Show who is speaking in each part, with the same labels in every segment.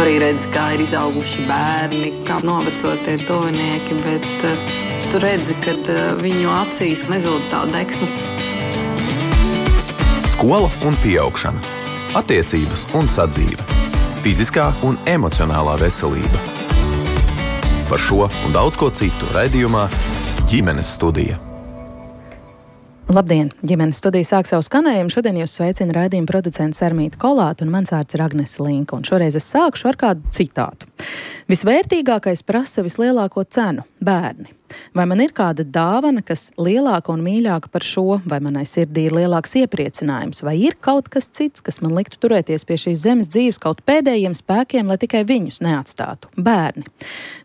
Speaker 1: arī redzi, kā ir izauguši bērni, kā noveco tie tuvinieki, bet tu redzi, ka viņu acīs nezūd tā deksme.
Speaker 2: Skola un pieaugšana, attiecības un sadzīve, fiziskā un emocionālā veselība. Par šo un daudz ko citu raidījumā Ģimenes studija.
Speaker 3: Labdien! Ģimenes studija sāk savu skanējumu. Šodien jūs sveicina raidījuma producents Sarmīta Kolāte un mans vārds ir Agnese Linka. Un šoreiz es sākšu ar kādu citātu. Visvērtīgākais prasa vislielāko cenu – bērni. Vai man ir kāda dāvana, kas lielāka un mīļāka par šo, vai manai sirdī ir lielāks iepriecinājums, vai ir kaut kas cits, kas man liktu turēties pie šīs zemes dzīves kaut pēdējiem spēkiem, lai tikai viņus neatstātu? Bērni.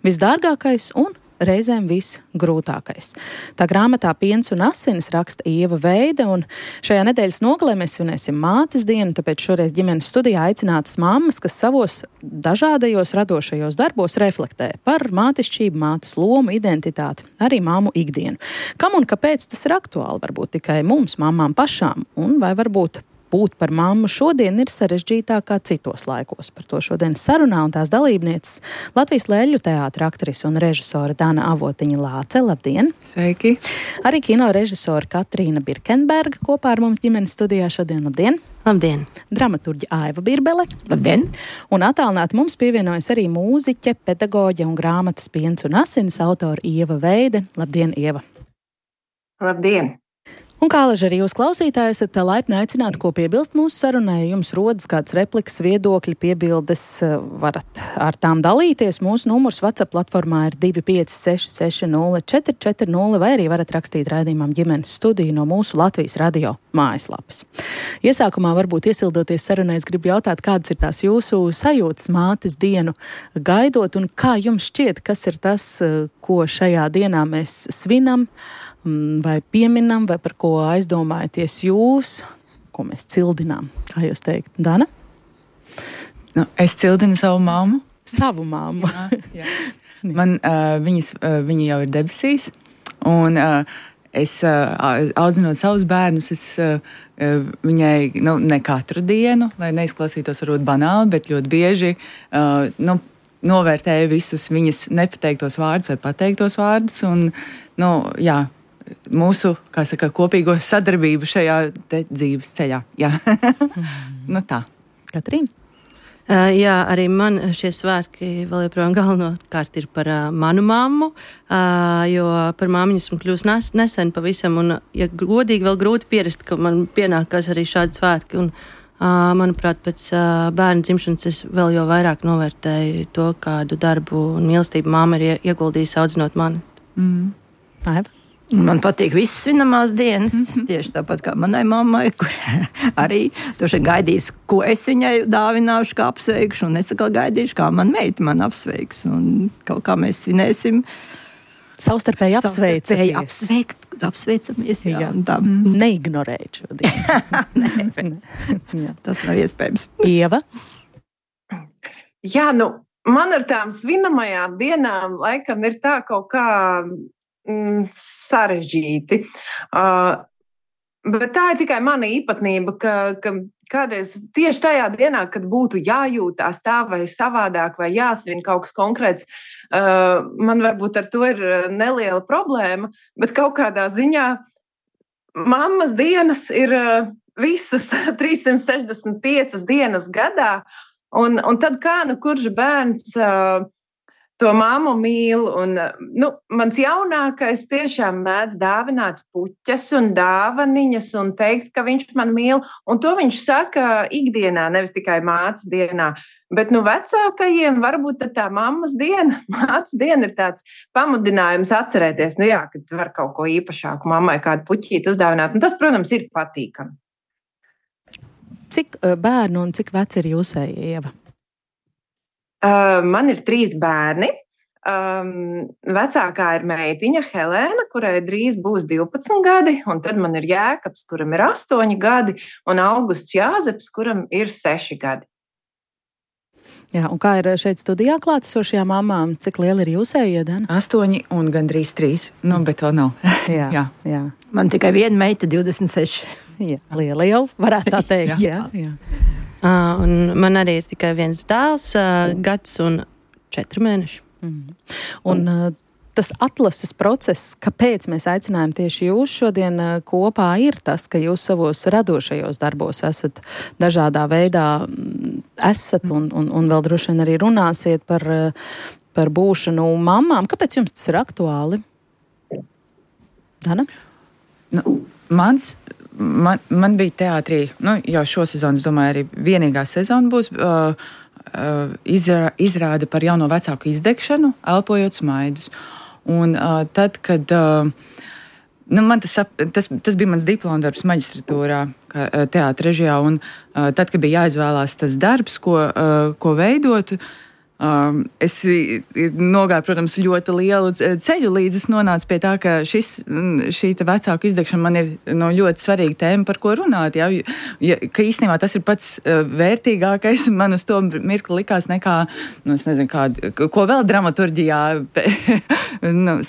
Speaker 3: Visdārgākais un reizēm visgrūtākais. Tā grāmatā Piens un asinis raksta Ieva Veide, un šajā nedēļas nogalē mēs svinēsim mātes dienu, tāpēc šoreiz ģimenes studijā aicinātas mammas, kas savos dažādajos radošajos darbos reflektē par mātišķību, mātes lomu, identitāti, arī māmu ikdienu. Kam un kāpēc tas ir aktuāli? Varbūt tikai mums, mamām pašām, un vai varbūt būt par mammu šodien ir sarežģītāk kā citos laikos. Par to šodien sarunā un tās dalībnieces Latvijas Lēļu teātra aktrise un režisore Dana Avotiņa Lāce. Labdien!
Speaker 4: Sveiki!
Speaker 3: Arī kino režisore Katrīna Birkenberga kopā ar mums ģimenes studijā šodien. Labdien!
Speaker 5: Labdien!
Speaker 3: Dramaturģe Aiva Birbele.
Speaker 5: Labdien!
Speaker 3: Un attālināti mums pievienojas arī mūziķe, pedagoģe un grāmatas Piens un asinis autora Ieva Veide. Labdien, Ieva!
Speaker 4: Labdien!
Speaker 3: Un kā laži arī jūs klausītāji esat laipni aicināti, ko piebilst mūsu sarunai, jums rodas kāds replikas, viedokļi, piebildes, varat ar tām dalīties. Mūsu numurs WhatsApp platformā ir 256604440, vai arī varat rakstīt raidījumam Ģimenes studiju no mūsu Latvijas radio mājaslapas. Iesākumā varbūt iesildoties sarunai, es gribu jautāt, kādas ir tās jūsu sajūtas mātes dienu gaidot, un kā jums šķiet, kas ir tas, ko šajā dienā mēs svinam, vai pieminam, vai par ko aizdomājaties jūs, ko mēs cildinām? Kā jūs teikt, Dana?
Speaker 4: Nu, es cildinu savu māmu.
Speaker 3: Savu māmu?
Speaker 4: Jā. Man, viņa jau ir debesīs, un es audzinot savus bērnus, viņai ne katru dienu, lai neizklausītos varbūt banāli, bet ļoti bieži novērtēju visus viņas nepateiktos vārdus vai pateiktos vārdus, un, jā, mūsu, kā saka, kopīgo sadarbību šajā dzīves ceļā. Jā. Tā.
Speaker 3: Katrīna?
Speaker 5: Jā, arī man šie svētki vēl joprojām galvenokārt ir par manu mammu, jo par māmiņu esmu kļūst nesen pavisam, un, ja godīgi, vēl grūti pierast, ka man pienākās arī šādi svētki, un, manuprāt, pēc bērna dzimšanas es vēl jau vairāk novērtēju to, kādu darbu un mīlestību māma ir ieguldījusi audzinot mani.
Speaker 3: Aiva?
Speaker 6: Man patīk visas svinamās dienas, tieši tāpat kā manai mammai, kur arī toši gaidīs, ko es viņai dāvināšu, kā apsveikšu, un es atkal gaidīšu, kā man meita man apsveiks, un kaut kā mēs svinēsim.
Speaker 3: Savstarpēji
Speaker 6: apsveicamies, jā.
Speaker 3: Neignorēt šo dienu.
Speaker 6: Tas nav iespējams.
Speaker 3: Ieva?
Speaker 7: Jā, man ar tām svinamajām dienām laikam ir tā kaut kā sarežģīti. Bet tā ir tikai mana īpatnība, ka kādreiz tieši tajā dienā, kad būtu jājūtās tā vai savādāk vai jāsvin kaut kas konkrēts, man varbūt ar to ir neliela problēma, bet kaut kādā ziņā mammas dienas ir visas 365 dienas gadā, un tad kā kurš bērns to māmu mīl, un mans jaunākais tiešām mēdz dāvināt puķes un dāvaniņas un teikt, ka viņš man mīl, un to viņš saka ikdienā, nevis tikai mātes dienā, bet vecākajiem varbūt tā mammas diena, mātes diena ir tāds pamudinājums atcerēties, kad var kaut ko īpašāku mammai kādu puķīti uzdāvināt, un tas, protams, ir patīkami.
Speaker 3: Cik bērnu un cik veci ir jūsēji, Ieva?
Speaker 7: Man ir 3 bērni. Vecākā ir meitiņa Helēna, kurai drīz būs 12 gadi, un tad man ir Jēkabs, kuram ir 8 gadi, un Augusts Jāzeps, kuram ir 6 gadi.
Speaker 3: Jā, un kā ir šeit studijā klātesošajām mamām? Cik liela ir jūsējie, Dana?
Speaker 4: 8 un gandrīz 3, bet to nav.
Speaker 3: Jā.
Speaker 6: Man tikai viena meita 26.
Speaker 3: Jā, liela jau, varētu tā teikt. Jā.
Speaker 5: Un man arī ir tikai viens dēls, gads un 4 mēneši.
Speaker 3: Un tas atlases process, kāpēc mēs aicinājām tieši jūs šodien kopā, ir tas, ka jūs savos radošajos darbos esat dažādā veidā un vēl droši vien arī runāsiet par būšanu mammām. Kāpēc jums tas ir aktuāli? Dana?
Speaker 4: Man bija teātrī, jau šo sezonu, es domāju, arī vienīgā sezona būs izrāda par jauno vecāku izdegšanu, elpojot smaidus. Un tad, kad man tas bija mans diplomdarbs maģistratūrā, teātra režijā, un tad, kad bija jāizvēlās tas darbs, ko veidot, es nogāju, protams, ļoti lielu ceļu, līdz es nonācu pie tā, ka šī vecāku izdegšana man ir ļoti svarīga tēma, par ko runāt. Ka īstenībā tas ir pats vērtīgākais. Man uz to mirkli likās nekā, es nezinu, ko vēl dramaturģijā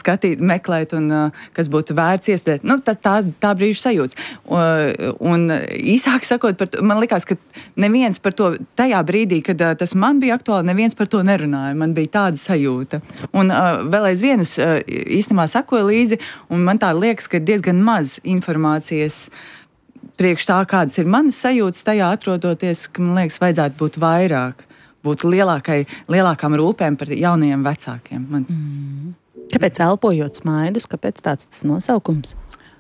Speaker 4: skatīt, meklēt, un kas būtu vērts iestudēt. Tā brīža sajūts. Un īsāk sakot, man likās, ka neviens par to tajā brīdī, kad tas man bija aktuāli, neviens par to nerunāju. Man bija tāda sajūta. Un vēl aizvien es īstenībā sakoju līdzi, un man tā liekas, ka ir diezgan maz informācijas priekš tā, kādas ir manas sajūtas tajā atrodoties, ka man liekas, vajadzētu būt vairāk, būt lielākām rūpēm par jaunajiem vecākiem.
Speaker 3: Kāpēc elpojot smaidus? Kāpēc tāds tas nosaukums?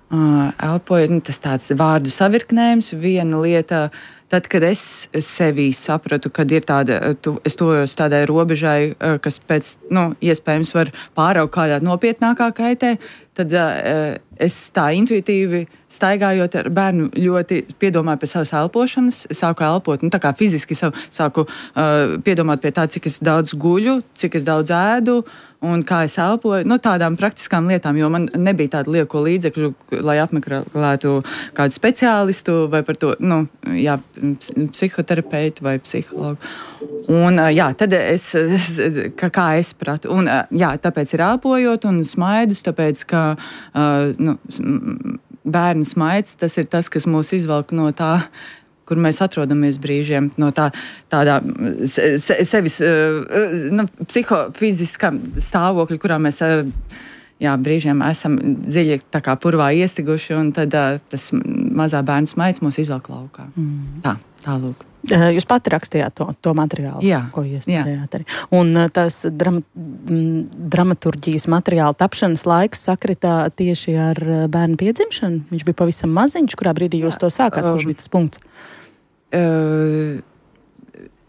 Speaker 4: Elpojot, tas tāds vārdu savirknējums, viena lieta. Tad, kad es sevī sapratu, kad ir es tojos tādai robežai, kas pēc, iespējams var pāraugt kādā nopietnākā kaitē, tad es tā intuitīvi staigājot ar bērnu ļoti piedomāju pie savas elpošanas, sāku elpot, tā kā fiziski sāku piedomāt pie tā, cik es daudz guļu, cik es daudz ēdu un kā es elpoju, tādām praktiskām lietām, jo man nebija tāda lieko līdzekļu, lai apmeklētu kādu speciālistu vai par to, psihoterapeitu vai psihologu. Un, tad kā es pratu. Un, tāpēc ir elpojot un smaidus, tāpēc, ka bērnu smaids, tas ir tas, kas mūs izvelk no tā, kur mēs atrodamies brīžiem, no tādā sevis psihofiziskā stāvokļa, kurā mēs brīžiem esam dziļi tā kā purvā iestiguši, un tad tas mazā bērnu smaids mūs izvelk laukā. Tā lūk.
Speaker 3: Jūs pati rakstījāt to materiālu, ko iestudējāt arī. Un tas dramaturģijas materiāla tapšanas laiks sakritā tieši ar bērnu piedzimšanu? Viņš bija pavisam maziņš, kurā brīdī jūs to sākāt? Kurš bija tas punkts?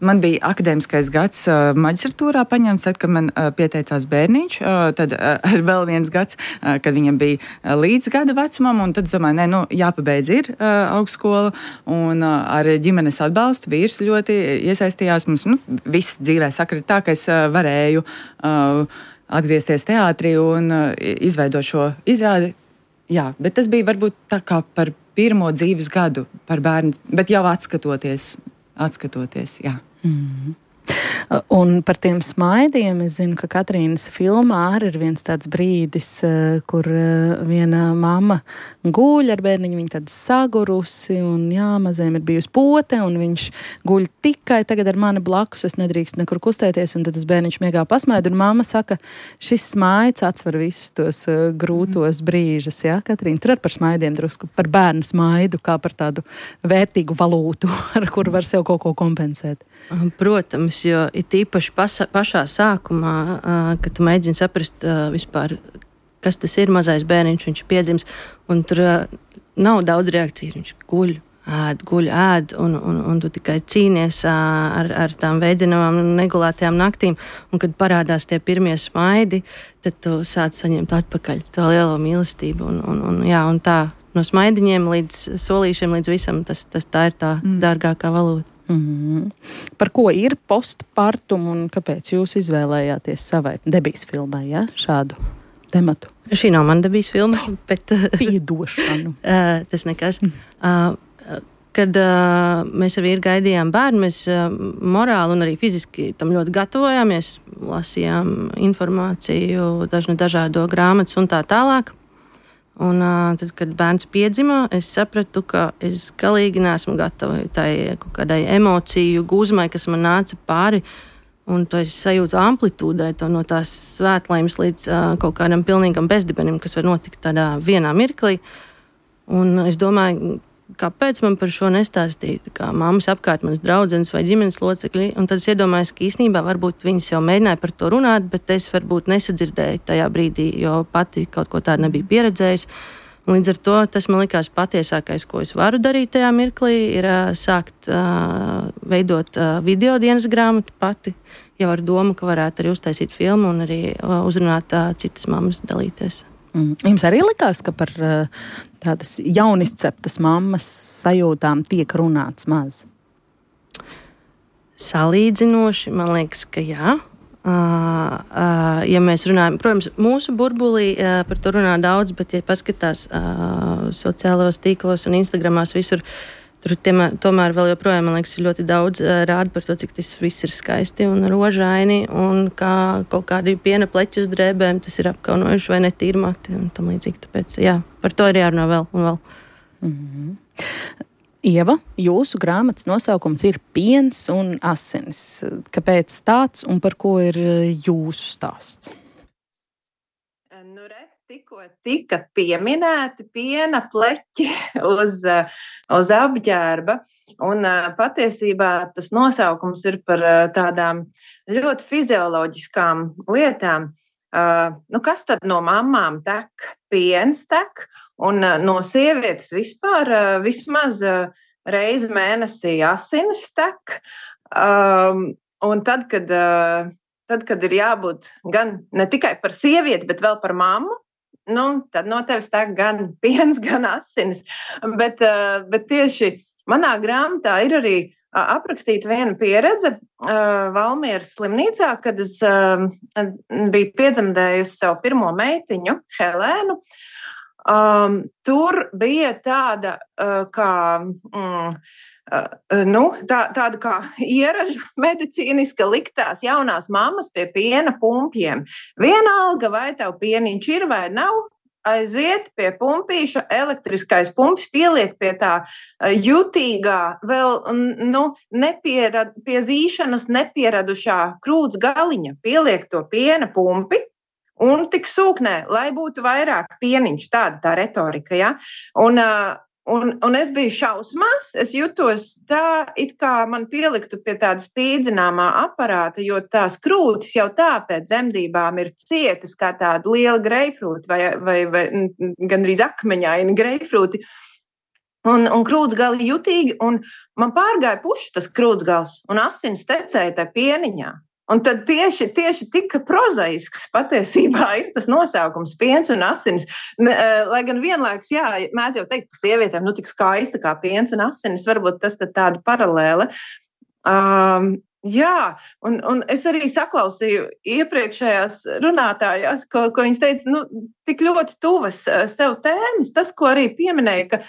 Speaker 4: Man bija akadēmiskais gads maģistratūrā paņemts, tad, kad man pieteicās bērniņš, tad vēl viens gads, kad viņam bija līdz gada vecumam, un tad es domāju, jāpabeidz ir augstskola, un ar ģimenes atbalstu vīrs ļoti iesaistījās. Mums viss dzīvē sakritā, ka es varēju atgriezties teātrī un izveidot šo izrādi. Bet tas bija varbūt tā kā par pirmo dzīves gadu par bērnu, bet jau atskatoties, jā.
Speaker 3: Un par tiem smaidiem es zinu, ka Katrīnas filmā arī ir viens tāds brīdis, kur viena mamma guļ ar bērniņu, viņa tad sagurusi, un mazajam ir bijusi pote, un viņš guļ tikai tagad ar mani blakus, es nedrīkst nekur kustēties, un tad tas bērniņš miegā pasmaida, un mamma saka, šis smaids atsver visus tos grūtos brīžus, Katrīna, tur ar par smaidiem drusku, par bērnu smaidu, kā par tādu vērtīgu valūtu, ar kuru var sev kaut ko kompensēt.
Speaker 5: Protams, jo ir tīpaši pašā sākumā, kad tu mēģini saprast vispār, kas tas ir mazais bērniņš, viņš piedzims, un tur nav daudz reakciju, viņš guļ, ēd, un tu tikai cīnies ar tām veidzinamām un negulētajām naktīm, un kad parādās tie pirmie smaidi, tad tu sāc saņemt atpakaļ to lielo mīlestību, un tā no smaidiņiem līdz solīšiem, līdz visam, tā ir tā dārgākā valūta.
Speaker 3: Par ko ir postpartum un kāpēc jūs izvēlējāties savai debijas filmai, šādu tematu?
Speaker 5: Šī nav mana debijas filma, bet
Speaker 3: piedošanu.
Speaker 5: Tas nekas. Kad mēs ar vīru gaidījām bērnu, mēs morāli un arī fiziski tam ļoti gatavojāmies, lasījām informāciju, dažādo grāmatas un tā tālāk. Un tad, kad bērns piedzima, es sapratu, ka es galīgi neesmu gatava tai kaut kādai emociju gūzmai, kas man nāca pāri. Un to es sajūtu amplitūdē, no tās svētlaimes līdz kaut kādam pilnīgam bezdibenim, kas var notikt tādā vienā mirklī. Un es domāju, kāpēc man par šo nestāstīt, kā mammas apkārt manas draudzenes vai ģimenes locekļi. Un tad es iedomājos, ka īstenībā varbūt viņas jau mēģināja par to runāt, bet es varbūt nesadzirdēju tajā brīdī, jo pati kaut ko tādu nebiju pieredzējis. Un līdz ar to tas man likās patiesākais, ko es varu darīt tajā mirklī, ir sākt veidot video dienas grāmatu pati, jau ar domu, ka varētu arī uztaisīt filmu un arī uzrunāt citas mammas dalīties.
Speaker 3: Jums arī likās, ka par tādas jaunizceptas mammas sajūtām tiek runāts maz?
Speaker 5: Salīdzinoši, man liekas, ka jā. Ja mēs runājam, protams, mūsu burbulī par to runā daudz, bet ja paskatās sociālos tīklos un Instagramās visur, tur tomēr vēl joprojām, man liekas, ir ļoti daudz rāda par to, cik tas viss ir skaisti un rožaini, un kā kaut kādi piena pleķi uz drēbēm, tas ir apkaunojuši vai netīri mati un tam līdzīgi. Tāpēc, jā, par to ir jārunā vēl un vēl.
Speaker 3: Mm-hmm. Ieva, jūsu grāmatas nosaukums ir Piens un asinis. Kāpēc tāds un par ko ir jūsu stāsts?
Speaker 7: Tikko tika pieminēti piena pleķi uz apģērba, un patiesībā tas nosaukums ir par tādām ļoti fizioloģiskām lietām. Kas tad no mammām tek? Piens tek, un no sievietes vispār vismaz reizi mēnesī asinis tek. Un tad, kad ir jābūt gan ne tikai par sievieti, bet vēl par mammu, tad no tevis tek gan piens, gan asinis. Bet tieši manā grāmatā ir arī aprakstīta viena pieredze Valmieras slimnīcā, kad es biju piedzemdējusi savu pirmo meitiņu, Helēnu. Tur bija tāda tāda kā ieraža medicīniska liktās jaunās mammas pie piena pumpiem. Vienalga, vai tev pieniņš ir vai nav, aiziet pie pumpīša, elektriskais pumps pieliek pie tā jutīgā, vēl pie zīšanas nepieradušā krūts galiņa, pieliek to piena pumpi un tik sūknē, lai būtu vairāk pieniņš, tāda tā retorika, ja? Un es biju šausmās, es jutos tā, it kā man pieliktu pie tāda spīdzināmā aparāta, jo tās krūtis jau tā pēc dzemdībām ir cietas kā tāda liela greifrūti vai gandrīz akmeņaini greifrūti. Un krūtsgali jutīgi, un man pārgāja puši tas krūtsgals, un asins tecēja tā pieniņā. Un tad tieši tika prozaisks patiesībā ir tas nosaukums piens un asinis. Lai gan vienlaikus, jā, mēdz jau teikt, ka sievietēm tik skaista kā piens un asinis, varbūt tas tad tāda paralēle. Jā, un es arī saklausīju iepriekšējās runātājās, ko viņas teica, tik ļoti tuvas sev tēmas, tas, ko arī pieminēja,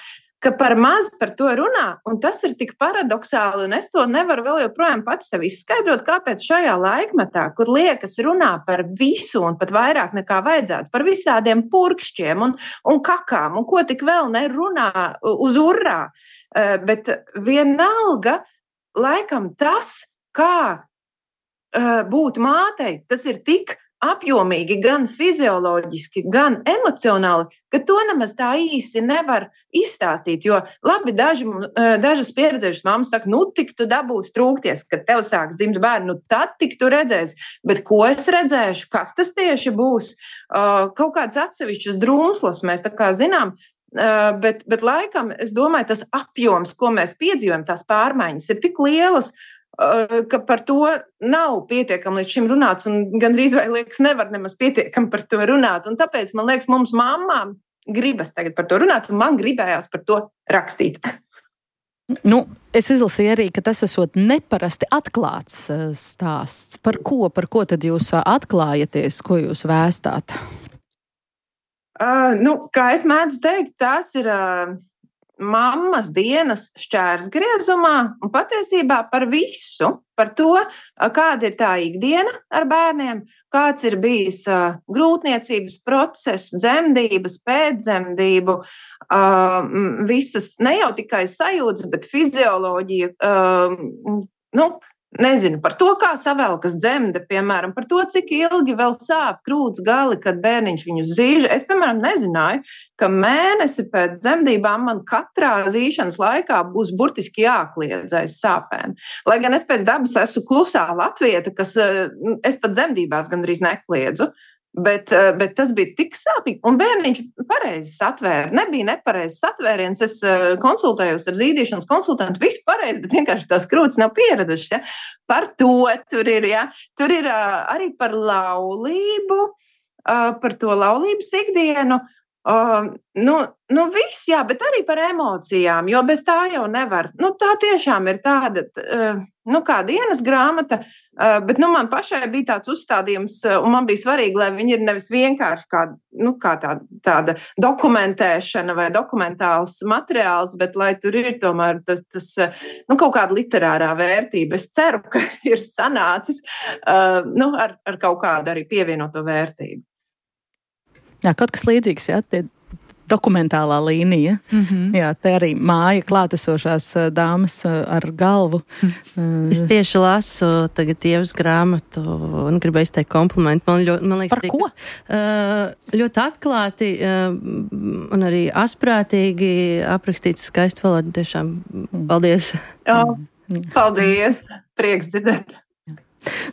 Speaker 7: ka par maz par to runā, un tas ir tik paradoxāli, un es to nevaru vēl joprojām pati sev izskaidrot, kāpēc šajā laikmetā, kur liekas runā par visu un pat vairāk nekā vajadzētu, par visādiem purkšķiem un kakām, un ko tik vēl nerunā uz urrā, bet vienalga, laikam tas, kā būt mātei, tas ir tik apjomīgi, gan fizioloģiski, gan emocionāli, ka to nemaz tā īsi nevar izstāstīt, jo labi, dažas pieredzējušas mammas saka, tik tu dabūsi trūkties, kad tev sāks dzimt bērni, tad tik tu redzēsi, bet ko es redzēšu, kas tas tieši būs, kaut kāds atsevišķas drumslas mēs tā kā zinām, bet laikam, es domāju, tas apjoms, ko mēs piedzīvojam, tās pārmaiņas ir tik lielas, ka par to nav pietiekami līdz šim runāts, un gandrīz vai liekas nevar nemaz pietiekami par to runāt. Un tāpēc, man liekas, mums mammām gribas tagad par to runāt, un man gribējās par to rakstīt.
Speaker 3: Es izlasīju arī, ka tas esot neparasti atklāts stāsts. Par ko tad jūs atklājaties, ko jūs vēstāt?
Speaker 7: Kā es mēdzu teikt, tās ir mammas dienas šķērsgriezumā un patiesībā par visu, par to, kāda ir tā ikdiena ar bērniem, kāds ir bijis grūtniecības process, dzemdības, pēcdzemdību, visas ne jau tikai sajūtas, bet fizioloģija, nezinu, par to, kā savelkas dzemde, piemēram, par to, cik ilgi vēl sāp krūts gali, kad bērniņš viņu zīž. Es, piemēram, nezināju, ka mēnesi pēc dzemdībām man katrā zīšanas laikā būs burtiski jākliedz aiz sāpēm. Lai gan es pēc dabas esmu klusā latvieta, kas es pat dzemdībās gandrīz nekliedzu. Bet tas bija tik sāpīgi, un bērniņš pareizi satvēra. Nebija nepareizs satvēriens. Es konsultējos ar zīdīšanas konsultantu, viss pareizi, bet vienkārši tās krūtis nav pieradušas. Ja? Par to tur ir, ja? Tur ir arī par laulību, par to laulības ikdienu. Viss, jā, bet arī par emocijām, jo bez tā jau nevar. Tā tiešām ir tāda, kā dienas grāmata, bet man pašai bija tāds uzstādījums, un man bija svarīgi, lai viņi ir nevis vienkārši kā tāda dokumentēšana vai dokumentāls materiāls, bet lai tur ir tomēr tas kaut kāda literārā vērtība. Es ceru, ka ir sanācis ar kaut kādu arī pievienoto vērtību.
Speaker 3: Jā, kaut kas līdzīgs, jā, tie dokumentālā līnija. Jā, te arī māja klātesošās dāmas ar galvu.
Speaker 5: Es tieši lasu tagad Ievas grāmatu un gribēju izteikt komplimentu. Man liekas,
Speaker 3: par ko?
Speaker 5: Ļoti atklāti un arī asprātīgi aprakstīts skaisti valodu. Tiešām paldies.
Speaker 7: Jā, paldies. Prieks dzirdēt.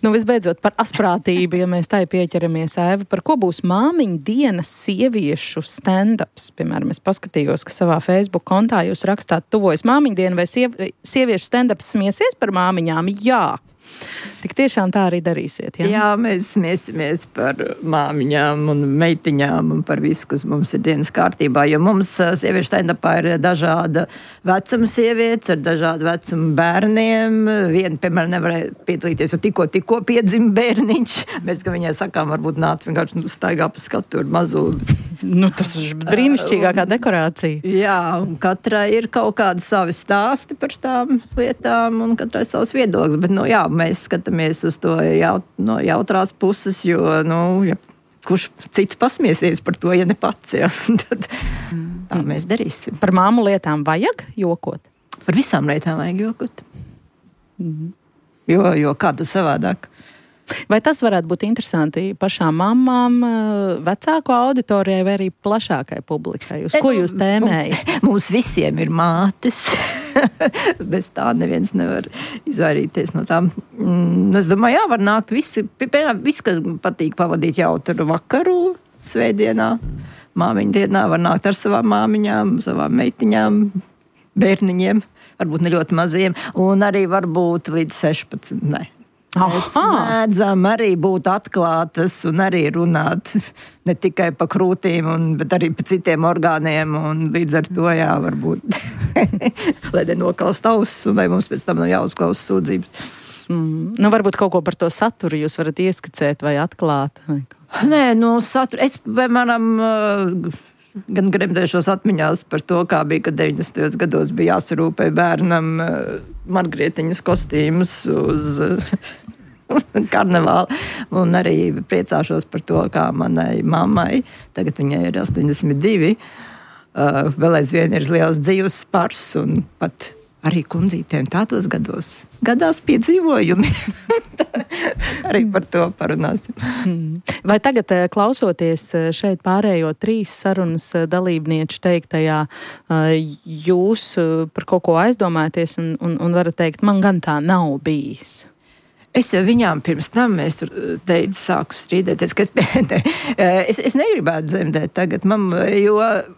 Speaker 3: Visbeidzot, par asprātību, ja mēs tai pieķeramies, Aiva, par ko būs māmiņu dienas sieviešu stand-ups? Piemēram, es paskatījos, ka savā Facebook kontā jūs rakstāt tuvojas māmiņu dienu, vai sieviešu stand-ups smiesies par māmiņām? Jā. Tik tiešām tā arī darīsiet, jā?
Speaker 6: Jā, mēs smiesimies par māmiņām un meitiņām un par visu, kas mums ir dienas kārtībā, jo mums sieviešu stand-upā ir dažāda vecuma sievietes ar dažādu vecumu bērniem. Viena, piemēram, nevarēja piedalīties, jo tikko piedzima bērniņš. Mēs, ka viņai sakām, varbūt nāc vienkārši staigā pa skatu ar mazu.
Speaker 3: Tas ir brīnišķīgākā dekorācija.
Speaker 6: Jā, un katrai ir kaut kādi savi stāsti par tām lietām un katrai savs viedoklis, bet, jā, mēs skatāmies uz to no jautrās puses, jo, ja kurš cits pasmiesies par to, ja ne pats, ja, tad tā mēs darīsim.
Speaker 3: Par māmu lietām vajag jokot?
Speaker 6: Par visām lietām vajag jokot. Jo kā tas savādāk?
Speaker 3: Vai tas varētu būt interesanti pašām mammām, vecāku auditorijai vai arī plašākai publikai? Uz ko jūs tēmējat?
Speaker 6: Mums visiem ir mātes. Bez tā neviens nevar izvairīties no tām. Es domāju, var nākt visi, kas patīk pavadīt jautru vakaru svētdienā, māmiņu dienā, var nākt ar savām māmiņām, savām meitiņām, bērniņiem, varbūt ne ļoti maziem, un arī varbūt līdz 16, ne. Mēs mēdzam arī būt atklātas un arī runāt ne tikai pa krūtīm, bet arī pa citiem orgāniem, un līdz ar to varbūt, lai nenokalst ausis, un lai mums pēc tam nav jāuzklausa sūdzības.
Speaker 3: Varbūt kaut ko par to saturu jūs varat ieskicēt vai atklāt?
Speaker 6: Nē, saturu. Es, piemēram, gan gremdēšos atmiņās par to, kā bija, kad 90. gados bija jāsarūpē bērnam Margrietiņas kostīmus uz karnevālu. Un arī priecāšos par to, kā manai mammai, tagad viņai ir 82, vēl aizvien ir liels dzīves spars un pat arī kundzītēm tādos gados gadās piedzīvojumi. Arī par to parunāsim.
Speaker 3: Vai tagad, klausoties šeit pārējo 3 sarunas dalībnieču teiktajā, jūs par kaut ko aizdomājaties un varat teikt, man gan tā nav bijis?
Speaker 6: Es jau viņām pirms tam, es tur teicu, sāku strīdēties, ka es negribētu dzemdēt tagad, jo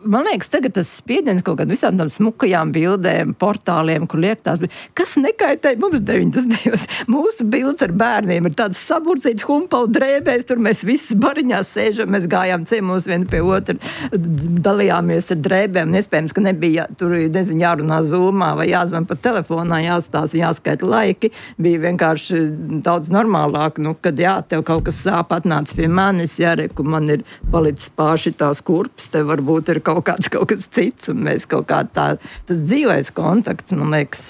Speaker 6: man liekas, tagad tas spiediens kaut kādā visām tām smukajām bildēm, portāliem, kur liek tās, kas nekaitēja mums 90. Mūsu bildes ar bērniem ir tāds saburcīts humpalu drēbēs, tur mēs visi bariņās sēžam, mēs gājām ciemos vieni pie otra, dalījāmies ar drēbēm, iespējams, ka nebija tur, jārunā zūmā vai jāzvan pa telefonā, jāstāsta, jāskaita laiki, bija vienkārši daudz normālāk, kad tev kaut kas sāp, atnāc pie manis, reku, man ir palicis pārši tās kurpes, te varbūt ir kaut kas cits, un mēs kaut kā tas dzīvais kontakts, man liekas,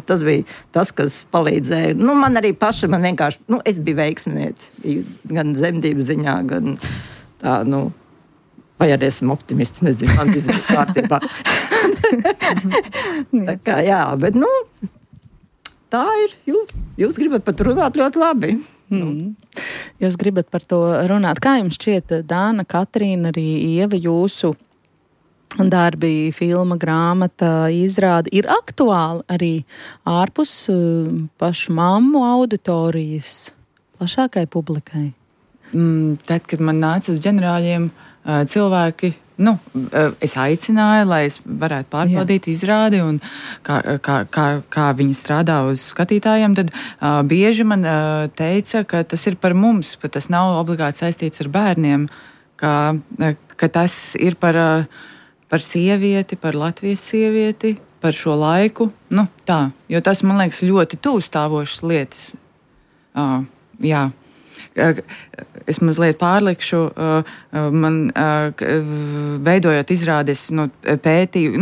Speaker 6: tas bija tas, kas palīdzēja. Man arī paša, man vienkārši, es biju veiksminieci, gan zemdību ziņā, gan tā, vai arī esmu optimists, nezinu, man izvēl kārtībā. Tā kā, jā, bet, tā ir. Jūs gribat pat runāt ļoti labi.
Speaker 3: Jūs gribat par to runāt. Kā jums šķiet, Dāna, Katrīna, arī Ieva, jūsu darbi, filma, grāmata, izrāde ir aktuāli arī ārpus pašu mammu auditorijas plašākai publikai?
Speaker 4: Tad, kad man nāca uz ģenerāļiem cilvēki, es aicināju, lai es varētu pārbaudīt izrādi un kā viņi strādā uz skatītājiem, tad bieži man teica, ka tas ir par mums, ka tas nav obligāti saistīts ar bērniem, ka tas ir par sievieti, par Latvijas sievieti, par šo laiku, tā, jo tas, man liekas, ļoti tūstāvošas lietas. Jā. Es mazliet pārlikšu, man veidojot izrādes, pētīju,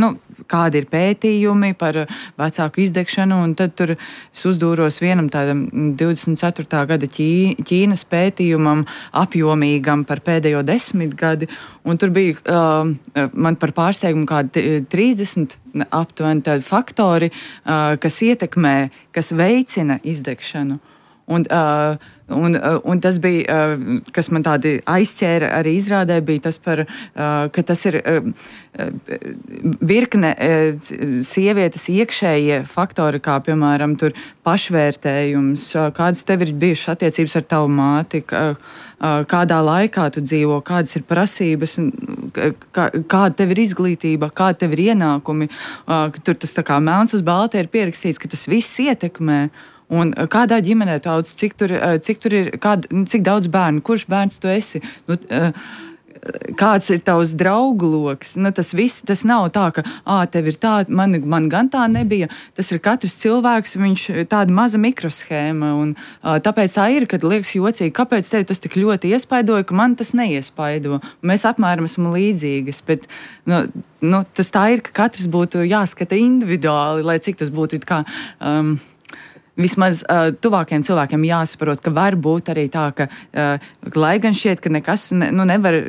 Speaker 4: kādi ir pētījumi par vecāku izdegšanu, un tad tur es uzdūros vienam tādam 24. gada Ķīnas pētījumam apjomīgam par pēdējo 10 gadi, un tur bija man par pārsteigumu kādi 30 aptuveni tādi faktori, kas ietekmē, kas veicina izdegšanu. Un tas bija, kas man tādi aizķēra arī izrādē, bija tas par, ka tas ir virkne sievietes iekšējie faktori, kā piemēram tur pašvērtējums, kādas tev ir bijušas attiecības ar tavu māti, kādā laikā tu dzīvo, kādas ir prasības, kāda tev ir izglītība, kāda tev ir ienākumi. Tur tas tā kā melns uz balta ir pierakstīts, ka tas viss ietekmē. Un kādā ģimenē tu audz, cik tur ir, cik daudz bērnu, kurš bērns tu esi, kāds ir tavs draugu loks. Tas viss, tas nav tā, ka tev ir tā, man gan tā nebija. Tas ir katrs cilvēks, viņš tāda maza mikroshēma, un tāpēc tā ir, kad liekas jocīgi, kāpēc tev tas tik ļoti iespaidoja, ka man tas neiespaido. Mēs apmēram esam līdzīgas, bet tas tā ir, ka katrs būtu jāskata individuāli, lai cik tas būtu kā... Vismaz tuvākiem cilvēkiem jāsaprot, ka var būt arī tā, ka, lai gan šķiet, ka nekas nevar,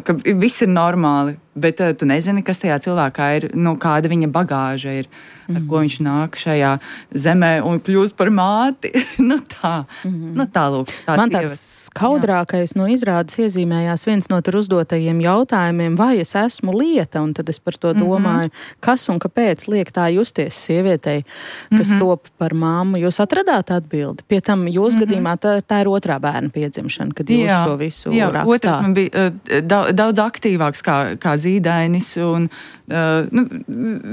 Speaker 4: ka viss ir normāli, bet tu nezini, kas tajā cilvēkā ir, kāda viņa bagāža ir, ar ko viņš nāk šajā zemē un kļūst par māti. Tā lūk.
Speaker 3: Man tāds skaudrākais no izrādes iezīmējās viens no tur uzdotajiem jautājumiem, vai es esmu lieta, un tad es par to domāju, kas un kāpēc liek tā justies sievietei, kas top par māmu. Jūs atradāt atbildi? Pie tam jūs gadījumā tā ir otrā bērna piedzimšana, kad jūs šo visu rakstāt.
Speaker 4: Otrs man bija daudz aktīvāks kā Zīdainis, un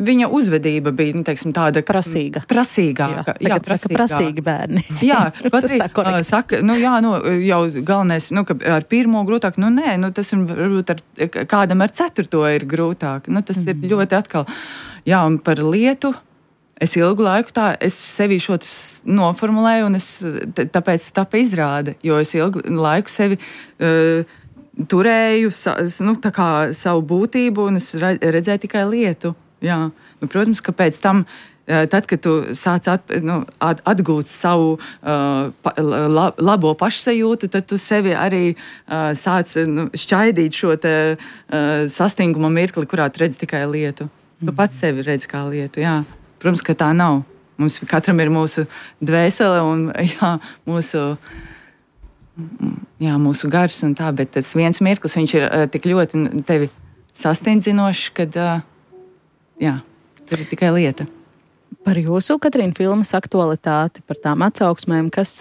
Speaker 4: viņa uzvedība bija, teiksim, tāda
Speaker 3: prasīgāka.
Speaker 4: Jā,
Speaker 3: saka prasīgi bērni.
Speaker 4: Jā, pat arī saka, jau galvenais, ka ar pirmo grūtāk, tas ir varbūt kādam ar 4. ir grūtāk. Tas ir ļoti atkal. Jā, un par lietu. Es ilgu laiku es sevi šo noformulēju, un tāpēc tāpa izrāde, jo es ilgu laiku sevi turēju savu būtību, un es redzēju tikai lietu. Jā. Protams, ka pēc tam, tad, kad tu sāc atgūt savu labo pašsajūtu, tad tu sevi arī sāc šķaidīt šo sastinguma mirkli, kurā tu redzi tikai lietu. Tu pats sevi redzi kā lietu, jā. Protams, ka tā nav. Mums katram ir mūsu dvēsele un mūsu gars un tā, bet tas viens mirklis, viņš ir tik ļoti tevi sastindzinošs, kad tur ir tikai lieta.
Speaker 3: Par jūsu, Katrīna, filmas aktualitāti, par tām atsauksmēm, kas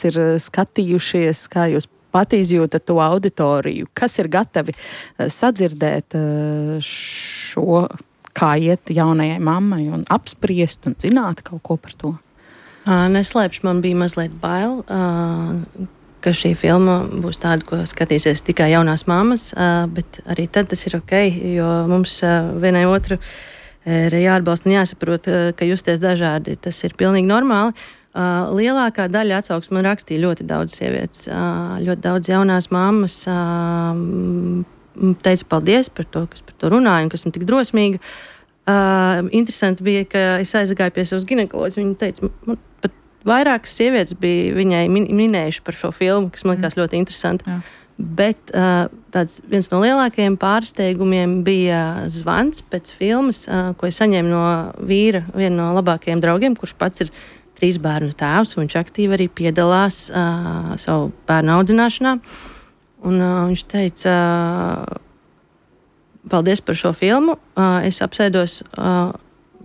Speaker 3: ir skatījušies, kā jūs pat izjūtat to auditoriju, kas ir gatavi sadzirdēt šo, kā iet jaunajai mammai un apspriest un zināt kaut ko par to?
Speaker 5: Neslēpšu, man bija mazliet bail, ka šī filma būs tāda, ko skatīsies tikai jaunās mammas, bet arī tad tas ir ok, jo mums vienai otru ir jāatbalsta un jāsaprot, ka justies dažādi, tas ir pilnīgi normāli. Lielākā daļa atsauksmes man rakstīja ļoti daudz sievietes, ļoti daudz jaunās mammas teica paldies par to, kas par to runāja un kas man tik drosmīga. Interesanti bija, ka es aizgāju pie savas ginekoloģijas, viņa teica, man pat vairākas sievietes bija viņai minējuši par šo filmu, kas man likās ļoti interesanti. Jā. Bet tāds viens no lielākajiem pārsteigumiem bija zvans pēc filmas, ko es saņēmu no vīra, viena no labākajiem draugiem, kurš pats ir 3 bērnu tēvs, un viņš aktīvi arī piedalās savu bērnu audzināšanā. Un viņš teica, paldies par šo filmu. Es apsēdos,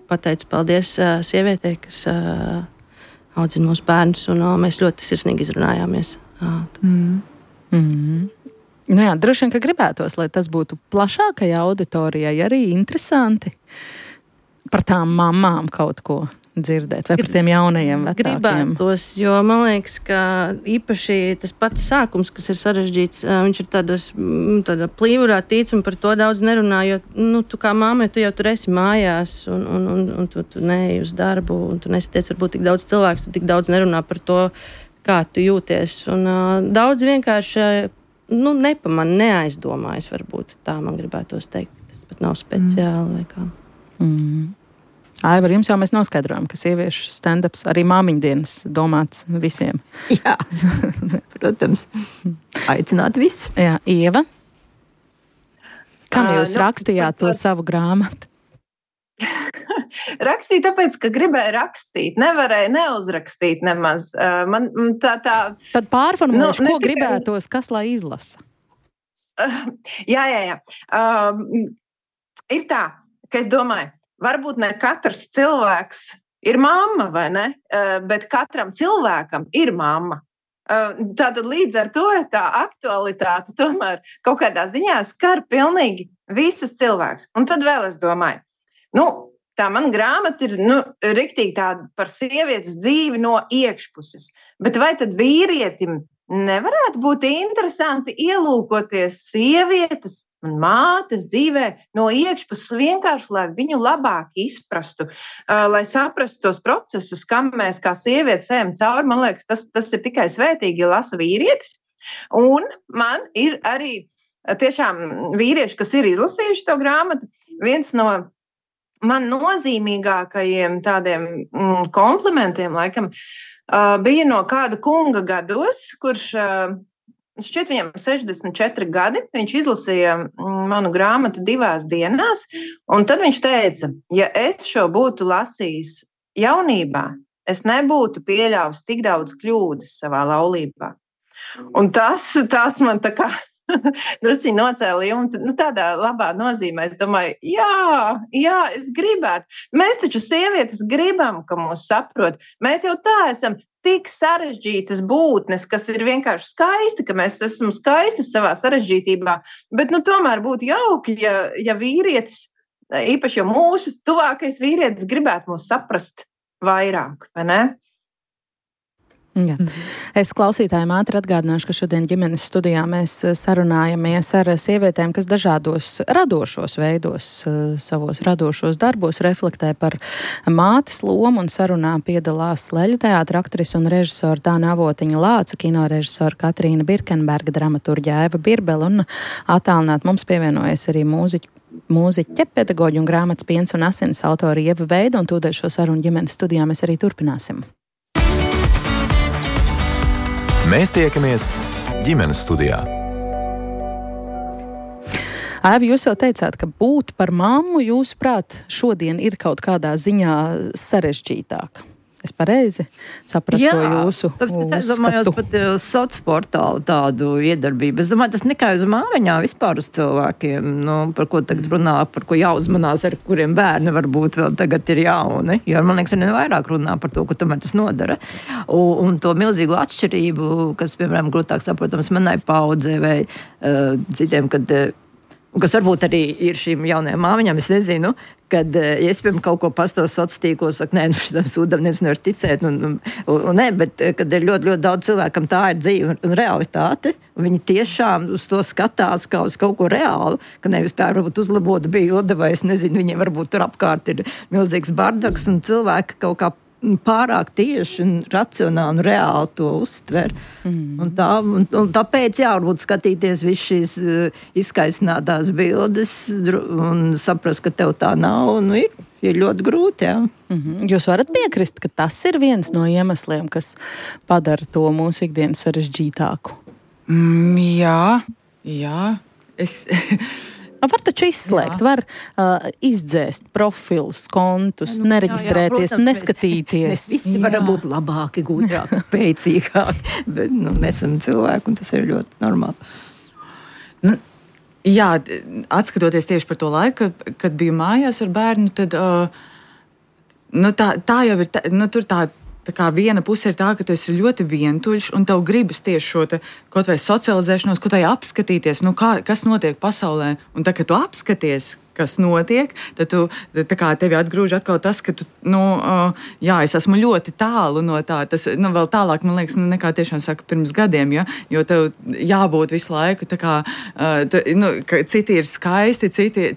Speaker 5: pateicu paldies sievietei, kas audzina mūsu bērnus, un mēs ļoti sirsnīgi izrunājāmies.
Speaker 3: Nu jā, droši vien, ka gribētos, lai tas būtu plašākai auditorijai arī interesanti par tām mamām kaut ko dzirdēt, vai par tiem jaunajiem vecākiem.
Speaker 5: Gribētos, jo man liekas, ka īpaši tas pats sākums, kas ir sarežģīts, viņš ir tāda plīvurā tīts un par to daudz nerunā, jo, tu kā māmai, tu jau tur esi mājās un tu neej uz darbu un tu nesatiec varbūt tik daudz cilvēku, tu tik daudz nerunā par to, kā tu jūties. Un daudz vienkārši nepamana, neaizdomājas varbūt. Tā man gribētos teikt. Tas pat nav speciāli vai kā.
Speaker 3: Aivar, jums jau mēs noskaidrojam, ka sieviešu stand-ups arī māmiņdienas domāts visiem.
Speaker 6: Jā, protams. Aicināt visi.
Speaker 3: Jā, Ieva, kam jūs rakstījāt to savu grāmatu?
Speaker 7: Rakstīju tāpēc, ka gribēju rakstīt. Nevarēju neuzrakstīt nemaz.
Speaker 3: Tad pārformulēšu, ko gribētos, kas lai izlasa?
Speaker 7: Jā. Ir tā, ka es domāju, varbūt ne katrs cilvēks ir mamma, vai ne? Bet katram cilvēkam ir mamma. Tātad līdz ar to tā aktualitāte tomēr kaut kādā ziņā skar pilnīgi visus cilvēkus. Un tad vēl es domāju, tā man grāmata ir riktīgi tāda par sievietes dzīvi no iekšpuses. Bet vai tad vīrietim nevarētu būt interesanti ielūkoties sievietes un mātes dzīvē no iekšpuses vienkārši, lai viņu labāk izprastu, lai saprastu tos procesus, kam mēs kā sievietes ejam cauri. Man liekas, tas ir tikai svētīgi, ja lasa vīrietis. Un man ir arī tiešām vīrieši, kas ir izlasījuši to grāmatu. Viens no man nozīmīgākajiem tādiem komplimentiem, laikam, bija no kāda kunga gados, kurš šķiet viņam 64 gadi. Viņš izlasīja manu grāmatu 2 dienās, un tad viņš teica, ja es šo būtu lasījis jaunībā, es nebūtu pieļāvis tik daudz kļūdas savā laulībā. Un tas man tā kā drusciņi nocēla jumtu, tādā labā nozīmē. Es domāju, jā, es gribētu. Mēs taču sievietes gribam, ka mūs saprot. Mēs jau tā esam tik sarežģītas būtnes, kas ir vienkārši skaisti, ka mēs esam skaistas savā sarežģītībā. Bet tomēr būtu jauki, ja vīrietis, īpaši jau mūsu tuvākais vīrietis, gribētu mūs saprast vairāk, vai ne?
Speaker 3: Jā. Es klausītājiem ātri atgādināšu, ka šodien ģimenes studijā mēs sarunājamies ar sievietēm, kas dažādos radošos veidos, savos radošos darbos reflektē par mātes lomu, un sarunā piedalās Leļu teātra aktrise un režisora Tāna Avotiņa Lāca, kinorežisora Katrīna Birkenberga, dramaturģa Aiva Birbele, un attālināt mums pievienojas arī mūziķe, pedagoģi un grāmatas Piens un asins autori Ieva Veida, un tūdaļ šo sarunu ģimenes studijā mēs arī turpināsim.
Speaker 2: Mēs tiekamies ģimenes studijā.
Speaker 3: Aiva, jūs jau teicāt, ka būt par mammu, jūsuprāt, šodien ir kaut kādā ziņā sarežģītāk. Es pareizi sapratu to jūsu uzskatu?
Speaker 6: Es domāju, pat uz sociālo portālu tādu iedarbību. Es domāju, tas nekā uz māmiņām, vispār uz cilvēkiem, par ko tagad runā, par ko jāuzmanās, ar kuriem bērni varbūt vēl tagad ir jauni. Jo, man liekas, arī vairāk runā par to, ka tomēr tas nodara. Un to milzīgo atšķirību, kas, piemēram, grūtāk saprotams manai paudzei vai citiem, kad kas varbūt arī ir šīm jaunajām māmiņām, es nezinu, kad, ja es, piemēram, kaut ko pastos sociālos tīklos, saku, nē, šitam sūdam nezinu var ticēt, un nē, bet kad ir ļoti, ļoti daudz cilvēkam tā ir dzīve un realitāte, un viņi tiešām uz to skatās kā uz kaut ko reālu, ka nevis tā varbūt uzlabota bilde, vai es nezinu, viņiem varbūt tur apkārt ir milzīgs bardaks, un cilvēki kaut kā pārāk tieši un racionāli un reāli to uztver. Un tāpēc, varbūt skatīties visu šīs izskaistinātās bildes un saprast, ka tev tā nav, un ir ļoti grūti, jā.
Speaker 3: Jūs varat piekrist, ka tas ir viens no iemesliem, kas padara to mūsu ikdienu sarežģītāku?
Speaker 4: Jā.
Speaker 3: Var taču izslēgt, var izdzēst profilus, kontus, nereģistrēties, neskatīties.
Speaker 6: Mēs visi varam būt labāki, gudrāki, spēcīgāki, bet mēs esam cilvēki, un tas ir ļoti normāli.
Speaker 4: Jā, atskatoties tieši par to laiku, kad biju mājās ar bērnu, tad tā jau ir, tur tā kā viena puse ir tā, ka tu esi ļoti vientuļš un tev gribas tieši šo kaut vai socializēšanos, kaut vai apskatīties, kas notiek pasaulē. Un tā, kad tu apskaties, kas notiek, tad tā kā tevi atgrūž atkal tas, ka tu, es esmu ļoti tālu no tā. Tas, vēl tālāk, man liekas, nekā tiešām saka pirms gadiem, ja? Jo tev jābūt visu laiku, tā kā, ka citi ir skaisti,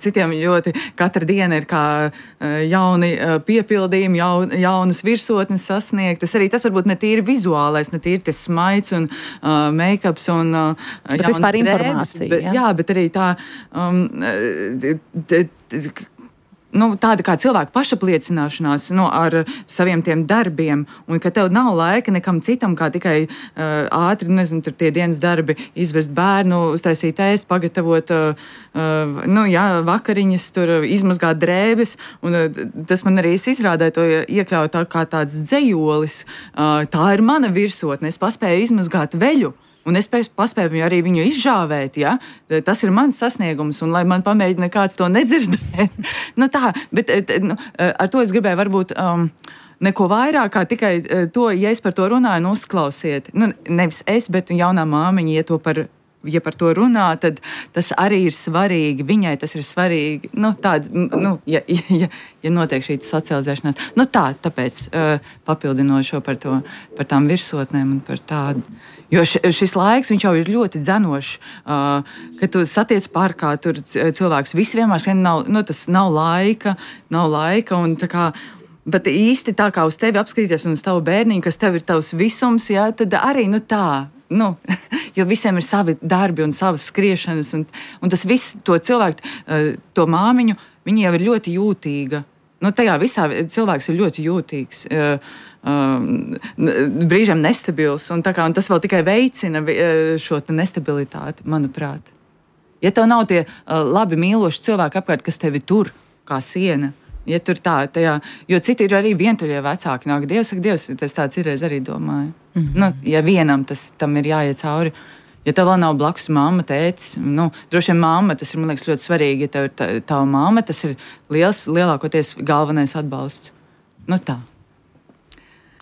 Speaker 4: citiem ļoti katra diena ir kā jauni piepildījumi, jaunas virsotnes sasniegtas. Arī tas varbūt ne tīri vizuālais, ne tīri tas smaids un make-ups un
Speaker 3: bet vispār informācija.
Speaker 4: Bet arī tā tāda kā cilvēka pašapliecināšanās ar saviem tiem darbiem, un ka tev nav laika nekam citam, kā tikai ātri, tur tie dienas darbi, izvest bērnu, uztaisīt ēst, pagatavot vakariņas, tur izmazgāt drēbes, un tas man arī izrādē to iekļaut tā kā tāds dzejolis. Tā ir mana virsotne, es paspēju izmazgāt veļu. Un es paspēju arī viņu izžāvēt, ja? Tas ir mans sasniegums, un lai man pamēģina kāds to nedzirdēt. Bet ar to es gribēju varbūt neko vairāk, kā tikai to, ja es par to runāju, uzklausiet. Nevis es, bet jaunā māmiņa, ja par to runā, tad tas arī ir svarīgi. Viņai tas ir svarīgi. Ja notiek šī socializēšanās. Tāpēc papildinošo par tām virsotnēm un par tādu. Jo šis laiks, viņš jau ir ļoti dzenošs, kad tu satiec parkā, tur cilvēks visi vienmēr tas nav laika, un tā kā, bet īsti tā kā uz tevi apskatīties un uz tavu bērniņu, kas tev ir tavs visums, jā, tad arī, jo visiem ir savi darbi un savas skriešanas, un tas viss, to cilvēku, to māmiņu, viņa jau ir ļoti jūtīga. Tajā visā cilvēks ir ļoti jūtīgs. Brīžiem nestabils, un tas vēl tikai veicina šo nestabilitāti, manuprāt. Ja tev nav tie labi mīloši cilvēki apkārt, kas tevi tur kā siena, ja tur jo citi ir arī vientuļie vecāki, nāk Dievs, tas tāds irreiz arī domāju. Ja vienam tam ir jāiet cauri, ja tev vēl nav blakus mamma, tētis, droši vien mamma, tas ir, man liekas, ļoti svarīgi, ja tev ir tava mamma, tas ir lielākoties galvenais atbalsts. Tā.